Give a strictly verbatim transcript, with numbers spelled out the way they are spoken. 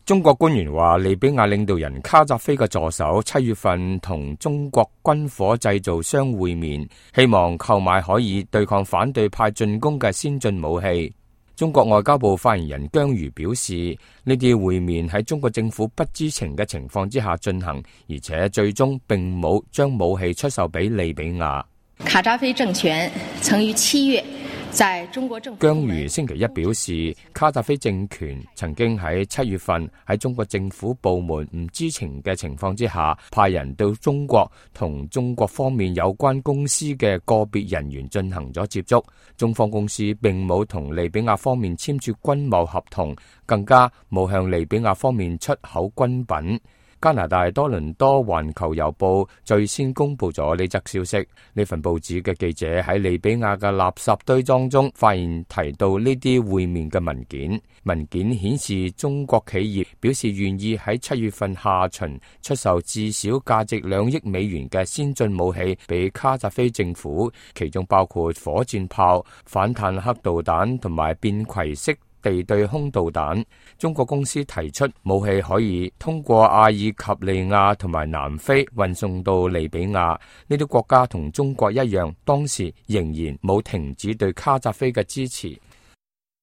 中國官員話，利比亞領導人卡扎菲嘅助手七月份同中國軍火製造商會面，希望購買可以對抗反對派進攻嘅先進武器。中國外交部發言人姜瑜表示，呢啲會面喺中國政府不知情嘅情況之下進行，而且最終並冇將武器出售俾利比亞。卡扎菲政權曾於七月在中國政府姜瑜星期一表示，卡扎菲政權曾經喺七月份喺中國政府部門唔知情嘅情況之下，派人到中國同中國方面有關公司嘅個別人員進行咗接觸。中方公司並冇同利比亞方面簽署軍貿合同，更加冇向利比亞方面出口軍品。加拿大多倫多環球郵報最先公布咗呢則消息。呢份報紙嘅記者喺利比亞嘅垃圾堆當中發現提到呢啲會面嘅文件。文件顯示中國企業表示願意喺七月份下旬出售至少價值兩億美元嘅先進武器俾卡扎菲政府，其中包括火箭炮、反坦克導彈同埋便攜式地對空導彈。中國公司提出武器可以通過阿爾及利亞同埋南非運送到利比亞，呢啲國家同中國一樣，當時仍然冇停止對卡扎菲嘅支持。